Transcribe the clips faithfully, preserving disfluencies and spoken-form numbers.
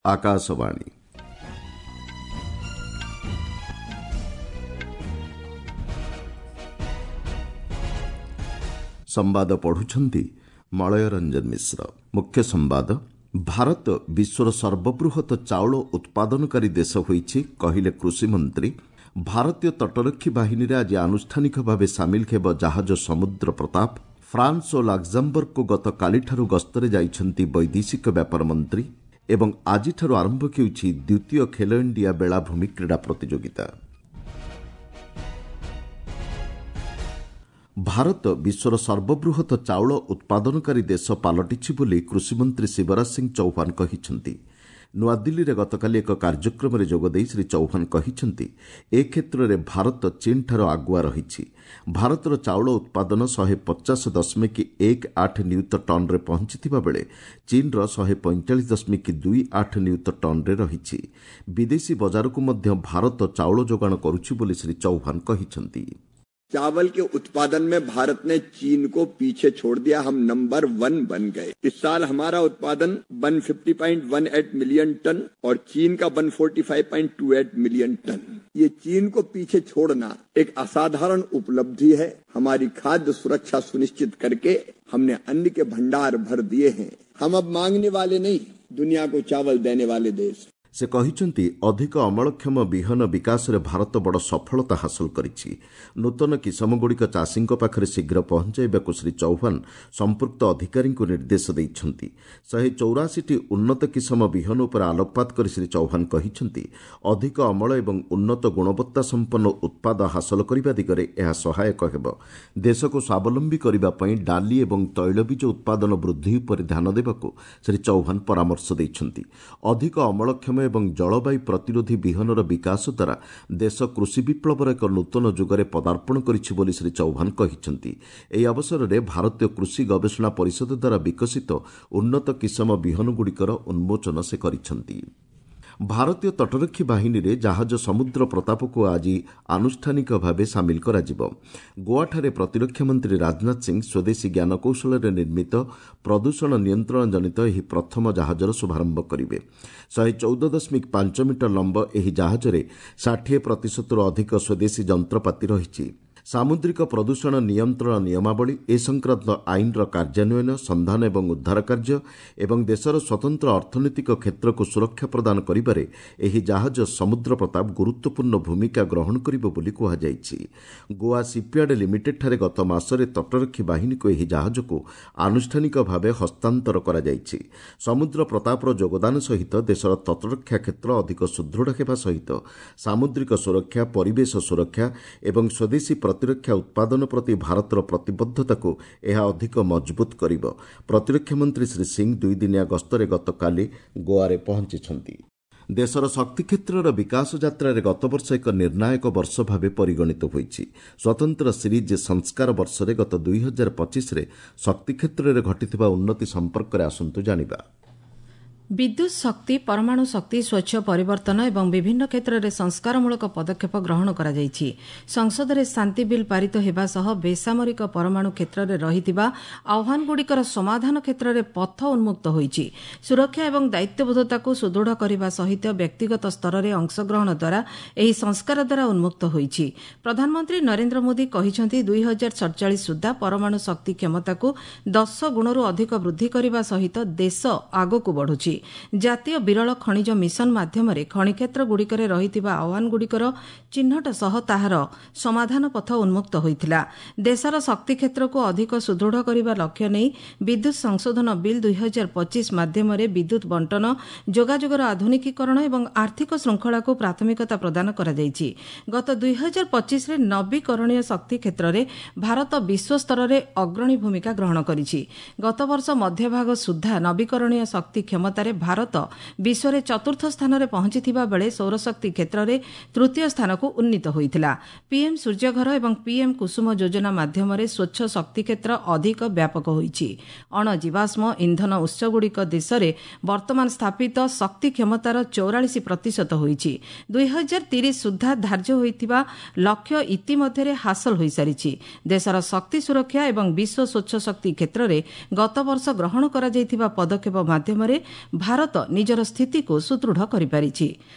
ଆକାଶବାଣୀ ସମ୍ବାଦ ପଢୁଛନ୍ତି ମଳୟ ରଞ୍ଜନ ମିଶ୍ର। ମୁଖ୍ୟ ସମ୍ବାଦ, ଭାରତ ବିଶ୍ୱର ସର୍ବବୃହତ ଚାଉଳ ଉତ୍ପାଦନକାରୀ ଦେଶ ହୋଇଛି, କହିଲେ କୃଷିମନ୍ତ୍ରୀ। ଭାରତୀୟ ତଟରକ୍ଷୀ ବାହିନୀରେ ଆଜି ଆନୁଷ୍ଠାନିକ ଭାବେ ସାମିଲ ହେବ ଜାହାଜ ସମୁଦ୍ର ପ୍ରତାପ। ଫ୍ରାନ୍ସ ଓ ଲାକ୍ଜାମ୍ବର୍ଗକୁ ଗତକାଲିଠାରୁ ଗସ୍ତରେ ଯାଇଛନ୍ତି ବୈଦେଶିକ ବ୍ୟାପାର ମନ୍ତ୍ରୀ। ଏବଂ ଆଜିଠାରୁ ଆରମ୍ଭ ହେଉଛି ଦ୍ୱିତୀୟ ଖେଲୋ ଇଣ୍ଡିଆ ବେଳାଭୂମି କ୍ରୀଡ଼ା ପ୍ରତିଯୋଗିତା। ଭାରତ ବିଶ୍ୱର ସର୍ବବୃହତ ଚାଉଳ ଉତ୍ପାଦନକାରୀ ଦେଶ ପାଲଟିଛି ବୋଲି କୃଷିମନ୍ତ୍ରୀ ଶିବରାଜ ସିଂ ଚୌହାନ କହିଛନ୍ତି। ନୂଆଦିଲ୍ଲୀରେ ଗତକାଲି ଏକ କାର୍ଯ୍ୟକ୍ରମରେ ଯୋଗଦେଇ ଶ୍ରୀ ଚୌହାନ କହିଛନ୍ତି, ଏ କ୍ଷେତ୍ରରେ ଭାରତ ଚୀନ୍ଠାରୁ ଆଗୁଆ ରହିଛି। ଭାରତର ଚାଉଳ ଉତ୍ପାଦନ ଶହେ ପଚାଶ ଦଶମିକ ଏକ ଆଠ ନିୟୁତ ଟନ୍ରେ ପହଞ୍ଚିଥିବା ବେଳେ ଚୀନ୍ର ଶହେ ପଇଁଚାଳିଶ ଦଶମିକ ଦୁଇ ଆଠ ନିୟୁତ ଟନ୍ରେ ରହିଛି। ବିଦେଶୀ ବଜାରକୁ ମଧ୍ୟ ଭାରତ ଚାଉଳ ଯୋଗାଣ କରୁଛି ବୋଲି ଶ୍ରୀ ଚୌହାନ କହିଛନ୍ତି। चावल के उत्पादन में भारत ने चीन को पीछे छोड़ दिया, हम नंबर वन बन गए। इस साल हमारा उत्पादन एक सौ पचास पॉइंट एक आठ मिलियन टन और चीन का एक सौ पैंतालीस पॉइंट दो आठ मिलियन टन। ये चीन को पीछे छोड़ना एक असाधारण उपलब्धि है। हमारी खाद्य सुरक्षा सुनिश्चित करके हमने अन्न के भंडार भर दिए हैं। हम अब मांगने वाले नहीं, दुनिया को चावल देने वाले देश। ସେ କହିଛନ୍ତି, ଅଧିକ ଅମଳକ୍ଷମ ବିହନ ବିକାଶରେ ଭାରତ ବଡ଼ ସଫଳତା ହାସଲ କରିଛି। ନୂତନ କିସମଗୁଡ଼ିକ ଚାଷୀଙ୍କ ପାଖରେ ଶୀଘ୍ର ପହଞ୍ଚାଇବାକୁ ଶ୍ରୀ ଚୌହାନ ସମ୍ପୃକ୍ତ ଅଧିକାରୀଙ୍କୁ ନିର୍ଦ୍ଦେଶ ଦେଇଛନ୍ତି। ଶହେ ଚଉରାଅଶୀଟି ଉନ୍ନତ କିସମ ବିହନ ଉପରେ ଆଲୋକପାତ କରି ଶ୍ରୀ ଚୌହାନ କହିଛନ୍ତି, ଅଧିକ ଅମଳ ଏବଂ ଉନ୍ନତ ଗୁଣବତ୍ତା ସମ୍ପନ୍ନ ଉତ୍ପାଦ ହାସଲ କରିବା ଦିଗରେ ଏହା ସହାୟକ ହେବ। ଦେଶକୁ ସ୍ୱାବଲମ୍ବୀ କରିବା ପାଇଁ ଡାଲି ଏବଂ ତୈଳବୀଜ ଉତ୍ପାଦନ ବୃଦ୍ଧି ଉପରେ ଧ୍ୟାନ ଦେବାକୁ ଶ୍ରୀ ଚୌହାନ ପରାମର୍ଶ ଦେଇଛନ୍ତି। ଅଧିକ ଅମଳକ୍ଷମ ଏବଂ ଜଳବାୟୁ ପ୍ରତିରୋଧୀ ବିହନର ବିକାଶ ଦ୍ୱାରା ଦେଶ କୃଷି ବିପ୍ଳବର ଏକ ନୂତନ ଯୁଗରେ ପଦାର୍ପଣ କରିଛି ବୋଲି ଶ୍ରୀ ଚୌହାନ କହିଛନ୍ତି। ଏହି ଅବସରରେ ଭାରତୀୟ କୃଷି ଗବେଷଣା ପରିଷଦ ଦ୍ୱାରା ବିକଶିତ ଉନ୍ନତ କିସମ ବିହନଗୁଡ଼ିକର ଉନ୍ମୋଚନ ସେ କରିଛନ୍ତି। ଭାରତୀୟ ତଟରକ୍ଷୀ ବାହିନୀରେ ଜାହାଜ ସମୁଦ୍ର ପ୍ରତାପକୁ ଆଜି ଆନୁଷ୍ଠାନିକ ଭାବେ ସାମିଲ କରାଯିବ। ଗୋଆଠାରେ ପ୍ରତିରକ୍ଷା ମନ୍ତ୍ରୀ ରାଜନାଥ ସିଂ ସ୍ୱଦେଶୀ ଜ୍ଞାନକୌଶଳରେ ନିର୍ମିତ ପ୍ରଦୂଷଣ ନିୟନ୍ତ୍ରଣ ଜନିତ ଏହି ପ୍ରଥମ ଜାହାଜର ଶୁଭାରମ୍ଭ କରିବେ। ଶହେ ଚଉଦ ଦଶମିକ ପାଞ୍ଚ ମିଟର ଲମ୍ବ ଏହି ଜାହାଜରେ ଷାଠିଏ ପ୍ରତିଶତରୁ ଅଧିକ ସ୍ୱଦେଶୀ ଯନ୍ତ୍ରପାତି ରହିଛି। ସାମୁଦ୍ରିକ ପ୍ରଦୂଷଣ ନିୟନ୍ତ୍ରଣ ନିୟମାବଳୀ, ଏ ସଂକ୍ରାନ୍ତ ଆଇନର କାର୍ଯ୍ୟାନ୍ୱୟନ, ସନ୍ଧାନ ଏବଂ ଉଦ୍ଧାର କାର୍ଯ୍ୟ ଏବଂ ଦେଶର ସ୍ୱତନ୍ତ୍ର ଅର୍ଥନୈତିକ କ୍ଷେତ୍ରକୁ ସୁରକ୍ଷା ପ୍ରଦାନ କରିବାରେ ଏହି ଜାହାଜ ସମୁଦ୍ର ପ୍ରତାପ ଗୁରୁତ୍ୱପୂର୍ଣ୍ଣ ଭୂମିକା ଗ୍ରହଣ କରିବ ବୋଲି କୁହାଯାଇଛି। ଗୋଆ ସିପ୍ୟାର୍ଡ ଲିମିଟେଡ୍ଠାରେ ଗତ ମାସରେ ତଟରକ୍ଷୀ ବାହିନୀକୁ ଏହି ଜାହାଜକୁ ଆନୁଷ୍ଠାନିକ ଭାବେ ହସ୍ତାନ୍ତର କରାଯାଇଛି। ସମୁଦ୍ର ପ୍ରତାପର ଯୋଗଦାନ ସହିତ ଦେଶର ତଟରକ୍ଷା କ୍ଷେତ୍ର ଅଧିକ ସୁଦୃଢ଼ ହେବା ସହିତ ସାମୁଦ୍ରିକ ସୁରକ୍ଷା, ପରିବେଶ ସୁରକ୍ଷା ଏବଂ ସ୍ୱଦେଶୀ ପ୍ରତିରକ୍ଷା ଉତ୍ପାଦନ ପ୍ରତି ଭାରତର ପ୍ରତିବଦ୍ଧତାକୁ ଏହା ଅଧିକ ମଜବୁତ କରିବ। ପ୍ରତିରକ୍ଷା ମନ୍ତ୍ରୀ ଶ୍ରୀ ସିଂ ଦୁଇଦିନିଆ ଗସ୍ତରେ ଗତକାଲି ଗୋଆରେ ପହଞ୍ଚିଛନ୍ତି। ଦେଶର ଶକ୍ତି କ୍ଷେତ୍ରର ବିକାଶ ଯାତ୍ରାରେ ଗତବର୍ଷ ଏକ ନିର୍ଣ୍ଣାୟକ ବର୍ଷ ଭାବେ ପରିଗଣିତ ହୋଇଛି। ସ୍ୱତନ୍ତ୍ର ସିରିଜ୍ ସଂସ୍କାର ବର୍ଷରେ ଗତ ଦୁଇ ହଜାର ପଚିଶରେ ଶକ୍ତି କ୍ଷେତ୍ରରେ ଘଟିଥିବା ଉନ୍ନତି ସମ୍ପର୍କରେ ଆସନ୍ତୁ ଜାଣିବା। ବିଦ୍ୟୁତ୍ ଶକ୍ତି, ପରମାଣୁ ଶକ୍ତି, ସ୍ୱଚ୍ଛ ପରିବର୍ତ୍ତନ ଏବଂ ବିଭିନ୍ନ କ୍ଷେତ୍ରରେ ସଂସ୍କାରମୂଳକ ପଦକ୍ଷେପ ଗ୍ରହଣ କରାଯାଇଛି। ସଂସଦରେ ଶାନ୍ତି ବିଲ୍ ପାରିତ ହେବା ସହ ବେସାମରିକ ପରମାଣୁ କ୍ଷେତ୍ରରେ ରହିଥିବା ଆହ୍ୱାନଗୁଡ଼ିକର ସମାଧାନ କ୍ଷେତ୍ରରେ ପଥ ଉନ୍ମୁକ୍ତ ହୋଇଛି। ସୁରକ୍ଷା ଏବଂ ଦାୟିତ୍ୱବୋଧତାକୁ ସୁଦୃଢ଼ କରିବା ସହିତ ବ୍ୟକ୍ତିଗତ ସ୍ତରରେ ଅଂଶଗ୍ରହଣ ଦ୍ୱାରା ଏହି ସଂସ୍କାର ଦ୍ୱାରା ଉନ୍ମୁକ୍ତ ହୋଇଛି। ପ୍ରଧାନମନ୍ତ୍ରୀ ନରେନ୍ଦ୍ର ମୋଦି କହିଛନ୍ତି, ଦୁଇ ହଜାର ସଡ଼ଚାଳିଶ ସୁଦ୍ଧା ପରମାଣୁ ଶକ୍ତି କ୍ଷମତାକୁ ଦଶ ଗୁଣରୁ ଅଧିକ ବୃଦ୍ଧି କରିବା ସହିତ ଦେଶ ଆଗକୁ ବଢ଼ୁଛି। ଜାତୀୟ ବିରଳ ଖଣିଜ ମିଶନ ମାଧ୍ୟମରେ ଖଣି କ୍ଷେତ୍ରଗୁଡ଼ିକରେ ରହିଥିବା ଆହ୍ୱାନଗୁଡ଼ିକର ଚିହ୍ନଟ ସହ ତାହାର ସମାଧାନ ପଥ ଉନ୍ମୁକ୍ତ ହୋଇଥିଲା। ଦେଶର ଶକ୍ତି କ୍ଷେତ୍ରକୁ ଅଧିକ ସୁଦୃଢ଼ କରିବା ଲକ୍ଷ୍ୟ ନେଇ ବିଦ୍ୟୁତ୍ ସଂଶୋଧନ ବିଲ୍ ଦୁଇ ହଜାର ପଚିଶ ମାଧ୍ୟମରେ ବିଦ୍ୟୁତ୍ ବଣ୍ଟନ, ଯୋଗାଯୋଗର ଆଧୁନିକୀକରଣ ଏବଂ ଆର୍ଥିକ ଶୃଙ୍ଖଳାକୁ ପ୍ରାଥମିକତା ପ୍ରଦାନ କରାଯାଇଛି। ଗତ ଦୁଇ ହଜାର ପଚିଶରେ ନବୀକରଣୀୟ ଶକ୍ତି କ୍ଷେତ୍ରରେ ଭାରତ ବିଶ୍ୱସ୍ତରରେ ଅଗ୍ରଣୀ ଭୂମିକା ଗ୍ରହଣ କରିଛି। ଗତବର୍ଷ ମଧ୍ୟଭାଗ ସୁଦ୍ଧା ନବୀକରଣୀୟ ଶକ୍ତି କ୍ଷମତାରେ ଭାରତ ବିଶ୍ୱରେ ଚତୁର୍ଥ ସ୍ଥାନରେ ପହଞ୍ଚିଥିବା ବେଳେ ସୌରଶକ୍ତି କ୍ଷେତ୍ରରେ ତୃତୀୟ ସ୍ଥାନକୁ ଉନ୍ନୀତ ହୋଇଥିଲା। ପିଏମ୍ ସୂର୍ଯ୍ୟଘର ଏବଂ ପିଏମ୍ କୁସୁମ ଯୋଜନା ମାଧ୍ୟମରେ ସ୍ୱଚ୍ଛ ଶକ୍ତି କ୍ଷେତ୍ର ଅଧିକ ବ୍ୟାପକ ହୋଇଛି। ଅଣଜୀବାଶ୍ମ ଇନ୍ଧନ ଉତ୍ସଗୁଡ଼ିକ ଦେଶରେ ବର୍ତ୍ତମାନ ସ୍ଥାପିତ ଶକ୍ତି କ୍ଷମତାର ଚଉରାଳିଶ ପ୍ରତିଶତ ହୋଇଛି। ଦୁଇ ହଜାର ତିରିଶ ସୁଦ୍ଧା ଧାର୍ଯ୍ୟ ହୋଇଥିବା ଲକ୍ଷ୍ୟ ଇତିମଧ୍ୟରେ ହାସଲ ହୋଇସାରିଛି। ଦେଶର ଶକ୍ତି ସୁରକ୍ଷା ଏବଂ ବିଶ୍ୱ ସ୍ୱଚ୍ଛ ଶକ୍ତି କ୍ଷେତ୍ରରେ ଗତବର୍ଷ ଗ୍ରହଣ କରାଯାଇଥିବା ପଦକ୍ଷେପ ମାଧ୍ୟମରେ ଭାରତ ନିଜର ସ୍ଥିତିକୁ ସୁଦୃଢ଼ କରିପାରିଛି।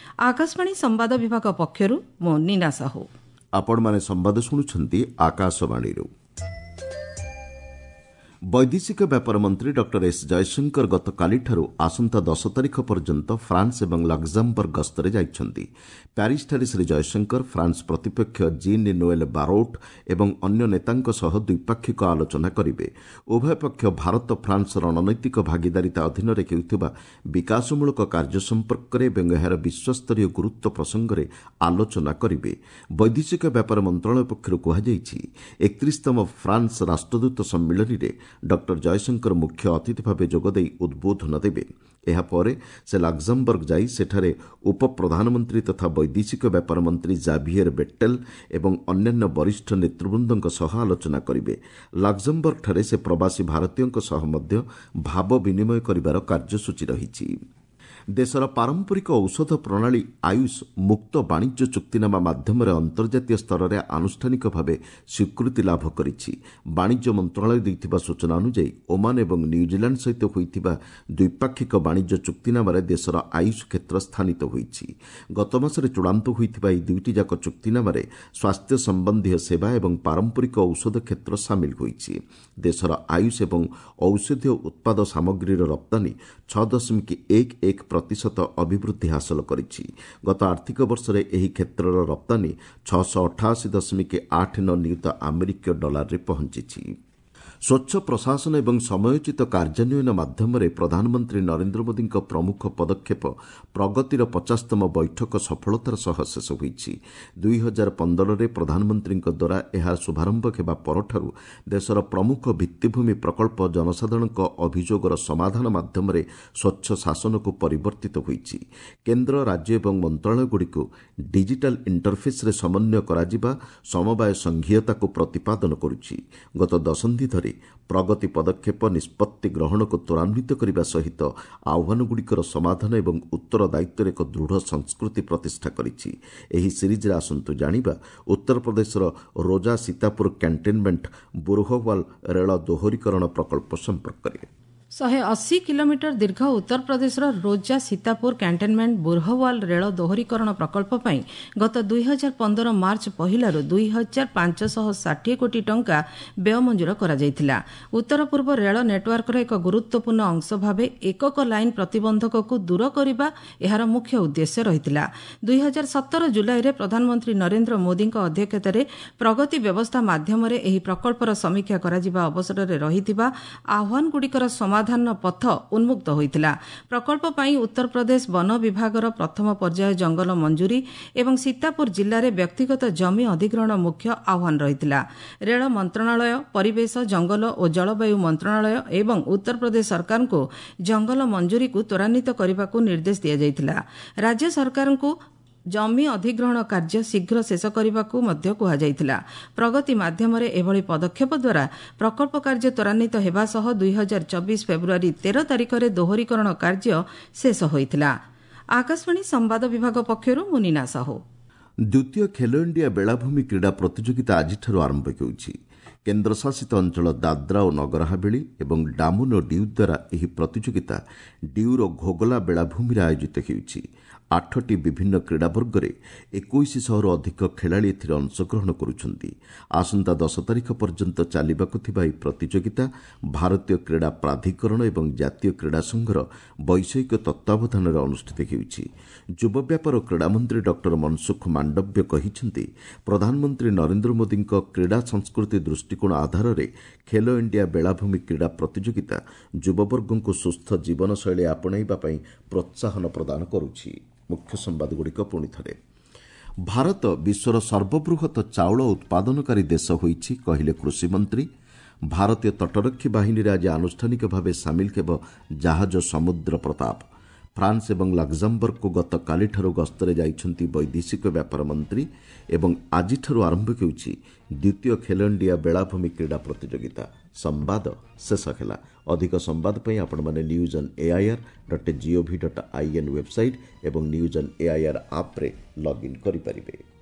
ଆକାଶବାଣୀ ସମ୍ବାଦ ବିଭାଗ ପକ୍ଷରୁ ମୁଁ ନୀନା ସାହୁ। ଆପଣମାନେ ସମ୍ବାଦ ଶୁଣୁଛନ୍ତି ଆକାଶବାଣୀରୁ। ବୈଦେଶିକ ବ୍ୟାପାର ମନ୍ତ୍ରୀ ଡକ୍ଟର ଏସ୍ ଜୟଶଙ୍କର ଗତକାଲିଠାରୁ ଆସନ୍ତା ଦଶ ତାରିଖ ପର୍ଯ୍ୟନ୍ତ ଫ୍ରାନ୍ସ ଏବଂ ଲକ୍ଜାମବର୍ଗ ଗସ୍ତରେ ଯାଇଛନ୍ତି। ପ୍ୟାରିସ୍ଠାରେ ଶ୍ରୀ ଜୟଶଙ୍କର ଫ୍ରାନ୍ସ ପ୍ରତିପକ୍ଷ ଜିନ୍ ନୋଏଲ୍ ବାରୋଟ୍ ଏବଂ ଅନ୍ୟ ନେତାଙ୍କ ସହ ଦ୍ୱିପାକ୍ଷିକ ଆଲୋଚନା କରିବେ। ଉଭୟ ପକ୍ଷ ଭାରତ ଫ୍ରାନ୍ସ ରଣନୈତିକ ଭାଗିଦାରିତା ଅଧୀନରେ ହେଉଥିବା ବିକାଶମୂଳକ କାର୍ଯ୍ୟ ସମ୍ପର୍କରେ ଏବଂ ଏହାର ବିଶ୍ୱସ୍ତରୀୟ ଗୁରୁତ୍ୱ ପ୍ରସଙ୍ଗରେ ଆଲୋଚନା କରିବେ। ବୈଦେଶିକ ବ୍ୟାପାର ମନ୍ତ୍ରଣାଳୟ ପକ୍ଷରୁ କୁହାଯାଇଛି, ଏକତିରିଶତମ ଫ୍ରାନ୍ସ ରାଷ୍ଟ୍ରଦୂତ ସମ୍ମିଳନୀରେ ଡକ୍ଟର ଜୟଶଙ୍କର ମୁଖ୍ୟ ଅତିଥି ଭାବେ ଯୋଗଦେଇ ଉଦ୍ବୋଧନ ଦେବେ। ଏହାପରେ ସେ ଲକ୍ଜାମବର୍ଗ ଯାଇ ସେଠାରେ ଉପପ୍ରଧାନମନ୍ତ୍ରୀ ତଥା ବୈଦେଶିକ ବ୍ୟାପାର ମନ୍ତ୍ରୀ ଜାଭିଏର୍ ବେଟ୍ଟେଲ୍ ଏବଂ ଅନ୍ୟାନ୍ୟ ବରିଷ୍ଠ ନେତୃବୃନ୍ଦଙ୍କ ସହ ଆଲୋଚନା କରିବେ। ଲକ୍ଜାମବର୍ଗଠାରେ ସେ ପ୍ରବାସୀ ଭାରତୀୟଙ୍କ ସହ ମଧ୍ୟ ଭାବ ବିନିମୟ କରିବାର କାର୍ଯ୍ୟସୂଚୀ ରହିଛି। ଦେଶର ପାରମ୍ପରିକ ଔଷଧ ପ୍ରଣାଳୀ ଆୟୁଷ ମୁକ୍ତ ବାଣିଜ୍ୟ ଚୁକ୍ତିନାମା ମାଧ୍ୟମରେ ଅନ୍ତର୍ଜାତୀୟ ସ୍ତରରେ ଆନୁଷ୍ଠାନିକ ଭାବେ ସ୍ୱୀକୃତି ଲାଭ କରିଛି। ବାଣିଜ୍ୟ ମନ୍ତ୍ରଣାଳୟ ଦେଇଥିବା ସୂଚନା ଅନୁଯାୟୀ ଓମାନ ଏବଂ ନ୍ୟୁଜିଲାଣ୍ଡ ସହିତ ହୋଇଥିବା ଦ୍ୱିପାକ୍ଷିକ ବାଣିଜ୍ୟ ଚୁକ୍ତିନାମାରେ ଦେଶର ଆୟୁଷ କ୍ଷେତ୍ର ସ୍ଥାନିତ ହୋଇଛି। ଗତମାସରେ ଚୂଡ଼ାନ୍ତ ହୋଇଥିବା ଏହି ଦୁଇଟି ଯାକ ଚୁକ୍ତିନାମାରେ ସ୍ୱାସ୍ଥ୍ୟ ସମ୍ବନ୍ଧୀୟ ସେବା ଏବଂ ପାରମ୍ପରିକ ଔଷଧ କ୍ଷେତ୍ର ସାମିଲ ହୋଇଛି। ଦେଶର ଆୟୁଷ ଏବଂ ଔଷଧୀୟ ଉତ୍ପାଦ ସାମଗ୍ରୀର ରପ୍ତାନୀ ଛଅ ଦଶମିକ ଏକ ଏକ ପ୍ରତିଶତ ଅଭିବୃଦ୍ଧି ହାସଲ କରିଛି। ଗତ ଆର୍ଥିକ ବର୍ଷରେ ଏହି କ୍ଷେତ୍ରର ରପ୍ତାନୀ ଛଅଶହ ଅଠାଅଶୀ ଦଶମିକ ଆଠ ନଅ ନିୟୁତ ଆମେରିକୀୟ ଡଲାରରେ ପହଞ୍ଚିଛି। ସ୍ୱଚ୍ଛ ପ୍ରଶାସନ ଏବଂ ସମୟୋଚିତ କାର୍ଯ୍ୟାନ୍ୱୟନ ମାଧ୍ୟମରେ ପ୍ରଧାନମନ୍ତ୍ରୀ ନରେନ୍ଦ୍ର ମୋଦିଙ୍କ ପ୍ରମୁଖ ପଦକ୍ଷେପ ପ୍ରଗତିର ପଚାଶତମ ବୈଠକ ସଫଳତାର ସହ ଶେଷ ହୋଇଛି। ଦୁଇ ହଜାର ପନ୍ଦରରେ ପ୍ରଧାନମନ୍ତ୍ରୀଙ୍କ ଦ୍ୱାରା ଏହା ଶୁଭାରମ୍ଭ ହେବା ପରଠାରୁ ଦେଶର ପ୍ରମୁଖ ଭିତ୍ତିଭୂମି ପ୍ରକଳ୍ପ ଜନସାଧାରଣଙ୍କ ଅଭିଯୋଗର ସମାଧାନ ମାଧ୍ୟମରେ ସ୍ୱଚ୍ଛ ଶାସନକୁ ପରିବର୍ତ୍ତିତ ହୋଇଛି। କେନ୍ଦ୍ର, ରାଜ୍ୟ ଏବଂ ମନ୍ତ୍ରଣାଳୟଗୁଡ଼ିକୁ ଡିଜିଟାଲ ଇଣ୍ଟରଫେସ୍ରେ ସମନ୍ୱୟ କରାଯିବା ସମବାୟ ସଂଘୀୟତାକୁ ପ୍ରତିପାଦନ କରୁଛି। ଗତ ଦଶନ୍ଧି ଧରି ପ୍ରଗତି ପଦକ୍ଷେପ ନିଷ୍ପତ୍ତି ଗ୍ରହଣକୁ ତ୍ୱରାନ୍ୱିତ କରିବା ସହିତ ଆହ୍ୱାନଗୁଡ଼ିକର ସମାଧାନ ଏବଂ ଉତ୍ତରଦାୟିତ୍ୱର ଏକ ଦୃଢ଼ ସଂସ୍କୃତି ପ୍ରତିଷ୍ଠା କରିଛି। ଏହି ସିରିଜ୍ରେ ଆସନ୍ତୁ ଜାଣିବା ଉତ୍ତରପ୍ରଦେଶର ରୋଜା ସୀତାପୁର କ୍ୟାଣ୍ଟନମେଣ୍ଟ ବୁରହୱାଲ ରେଳ ଦୋହରୀକରଣ ପ୍ରକଳ୍ପ ସମ୍ପର୍କରେ। ଶହେ ଅଶୀ କିଲୋମିଟର ଦୀର୍ଘ ଉତ୍ତରପ୍ରଦେଶର ରୋଜା ସୀତାପୁର କ୍ୟାଣ୍ଟନମେଣ୍ଟ ବୁରହୱାଲ ରେଳ ଦୋହରୀକରଣ ପ୍ରକଳ୍ପ ପାଇଁ ଗତ ଦୁଇ ହଜାର ପନ୍ଦର ମାର୍ଚ୍ଚ ପହିଲାରୁ ଦୁଇ ହଜାର ପାଞ୍ଚଶହ ଷାଠିଏ କୋଟି ଟଙ୍କା ବ୍ୟୟ ମଞ୍ଜୁର କରାଯାଇଥିଲା। ଉତ୍ତର ପୂର୍ବ ରେଳ ନେଟୱାର୍କର ଏକ ଗୁରୁତ୍ୱପୂର୍ଣ୍ଣ ଅଂଶ ଭାବେ ଏକକ ଲାଇନ୍ ପ୍ରତିବନ୍ଧକକୁ ଦୂର କରିବା ଏହାର ମୁଖ୍ୟ ଉଦ୍ଦେଶ୍ୟ ରହିଥିଲା। ଦୁଇ ହଜାର ସତର ଜୁଲାଇରେ ପ୍ରଧାନମନ୍ତ୍ରୀ ନରେନ୍ଦ୍ର ମୋଦିଙ୍କ ଅଧ୍ୟକ୍ଷତାରେ ପ୍ରଗତି ବ୍ୟବସ୍ଥା ମାଧ୍ୟମରେ ଏହି ପ୍ରକଳ୍ପର ସମୀକ୍ଷା କରାଯିବା ଅବସରରେ ରହିଥିବା ଆହ୍ୱାନଗୁଡ଼ିକର ସମାଧାନ ପଥ ଉନ୍ମୁକ୍ତ ହୋଇଥିଲା। ପ୍ରକଳ୍ପ ପାଇଁ ଉତ୍ତରପ୍ରଦେଶ ବନ ବିଭାଗର ପ୍ରଥମ ପର୍ଯ୍ୟାୟ ଜଙ୍ଗଲ ମଞ୍ଜୁରୀ ଏବଂ ସୀତାପୁର ଜିଲ୍ଲାରେ ବ୍ୟକ୍ତିଗତ ଜମି ଅଧିଗ୍ରହଣ ମୁଖ୍ୟ ଆହ୍ୱାନ ରହିଥିଲା। ରେଳ ମନ୍ତ୍ରଣାଳୟ, ପରିବେଶ, ଜଙ୍ଗଲ ଓ ଜଳବାୟୁ ମନ୍ତ୍ରଣାଳୟ ଏବଂ ଉତ୍ତରପ୍ରଦେଶ ସରକାରଙ୍କୁ ଜଙ୍ଗଲ ମଞ୍ଜୁରୀକୁ ତ୍ୱରାନ୍ୱିତ କରିବାକୁ ନିର୍ଦ୍ଦେଶ ଦିଆଯାଇଥିଲା। ରାଜ୍ୟ ସରକାରଙ୍କୁ ଜମି ଅଧିଗ୍ରହଣ କାର୍ଯ୍ୟ ଶୀଘ୍ର ଶେଷ କରିବାକୁ ମଧ୍ୟ କୁହାଯାଇଥିଲା। ପ୍ରଗତି ମାଧ୍ୟମରେ ଏଭଳି ପଦକ୍ଷେପ ଦ୍ୱାରା ପ୍ରକଳ୍ପ କାର୍ଯ୍ୟ ତ୍ୱରାନ୍ୱିତ ହେବା ସହ ଦୁଇ ହଜାର ଚବିଶ ଫେବୃଆରୀ ତେର ତାରିଖରେ ଦୋହରୀକରଣ କାର୍ଯ୍ୟ ଶେଷ ହୋଇଥିଲା। ଆକାଶବାଣୀ ସମ୍ବାଦ ବିଭାଗ ପକ୍ଷରୁ ମୁଁ ନୀନା ସାହୁ। ଦ୍ୱିତୀୟ ଖେଲୋ ଇଣ୍ଡିଆ ବେଳାଭୂମି କ୍ରୀଡ଼ା ପ୍ରତିଯୋଗିତା ଆଜିଠାରୁ ଆରମ୍ଭ ହେଉଛି। କେନ୍ଦ୍ରଶାସିତ ଅଞ୍ଚଳ ଦାଦ୍ରା ଓ ନଗର ହାବେଳି ଏବଂ ଡାମନ ଓ ଡିଉ ଦ୍ୱାରା ଏହି ପ୍ରତିଯୋଗିତା ଡିଉର ଘୋଗଲା ବେଳାଭୂମିରେ ଆୟୋଜିତ ହେଉଛି। ଆଠଟି ବିଭିନ୍ନ କ୍ରୀଡ଼ା ବର୍ଗରେ ଏକୋଇଶ ଶହରୁ ଅଧିକ ଖେଳାଳି ଏଥିରେ ଅଂଶଗ୍ରହଣ କରୁଛନ୍ତି। ଆସନ୍ତା ଦଶ ତାରିଖ ପର୍ଯ୍ୟନ୍ତ ଚାଲିବାକୁ ଥିବା ଏହି ପ୍ରତିଯୋଗିତା ଭାରତୀୟ କ୍ରୀଡ଼ା ପ୍ରାଧିକରଣ ଏବଂ ଜାତୀୟ କ୍ରୀଡ଼ା ସଂଘର ବୈଷୟିକ ତତ୍ତ୍ୱାବଧାନରେ ଅନୁଷ୍ଠିତ ହେଉଛି। ଯୁବ ବ୍ୟାପାର ଓ କ୍ରୀଡ଼ାମନ୍ତ୍ରୀ ଡକ୍ଟର ମନସୁଖ ମାଣ୍ଡବ୍ୟ କହିଛନ୍ତି, ପ୍ରଧାନମନ୍ତ୍ରୀ ନରେନ୍ଦ୍ର ମୋଦିଙ୍କ କ୍ରୀଡ଼ା ସଂସ୍କୃତି ଦୃଷ୍ଟିକୋଣ ଆଧାରରେ ଖେଲୋ ଇଣ୍ଡିଆ ବେଳାଭୂମି କ୍ରୀଡ଼ା ପ୍ରତିଯୋଗିତା ଯୁବବର୍ଗଙ୍କୁ ସୁସ୍ଥ ଜୀବନଶୈଳୀ ଆପଣେଇବା ପାଇଁ ପ୍ରୋତ୍ସାହନ ପ୍ରଦାନ କରୁଛି। ମୁଖ୍ୟ ସମ୍ବାଦଗୁଡ଼ିକ ପୁଣି ଥରେ। ଭାରତ ବିଶ୍ୱର ସର୍ବବୃହତ ଚାଉଳ ଉତ୍ପାଦନକାରୀ ଦେଶ ହୋଇଛି, କହିଲେ କୃଷିମନ୍ତ୍ରୀ। ଭାରତୀୟ ତଟରକ୍ଷୀ ବାହିନୀରେ ଆଜି ଆନୁଷ୍ଠାନିକ ଭାବେ ସାମିଲ ହେବ ଜାହାଜ ସମୁଦ୍ର ପ୍ରତାପ। ଫ୍ରାନ୍ସ ଏବଂ ଲକ୍ଜାମବର୍ଗକୁ ଗତକାଲିଠାରୁ ଗସ୍ତରେ ଯାଇଛନ୍ତି ବୈଦେଶିକ ବ୍ୟାପାର ମନ୍ତ୍ରୀ ଏବଂ ଆଜିଠାରୁ ଆରମ୍ଭ ହେଉଛି ଦ୍ୱିତୀୟ ଖେଲୋ ଇଣ୍ଡିଆ ବେଳାଭୂମି କ୍ରୀଡ଼ା ପ୍ରତିଯୋଗିତା। ସମ୍ବାଦ ଶେଷ ହେଲା। ଅଧିକ ସମ୍ବାଦ ପାଇଁ ଆପଣମାନେ news on AIR dot gov dot in website ଏବଂ ନ୍ୟୁଜ୍ ଅନ୍ ଏଆଇଆର୍ ଆପ୍ରେ ଲଗ୍ଇନ୍ କରିପାରିବେ।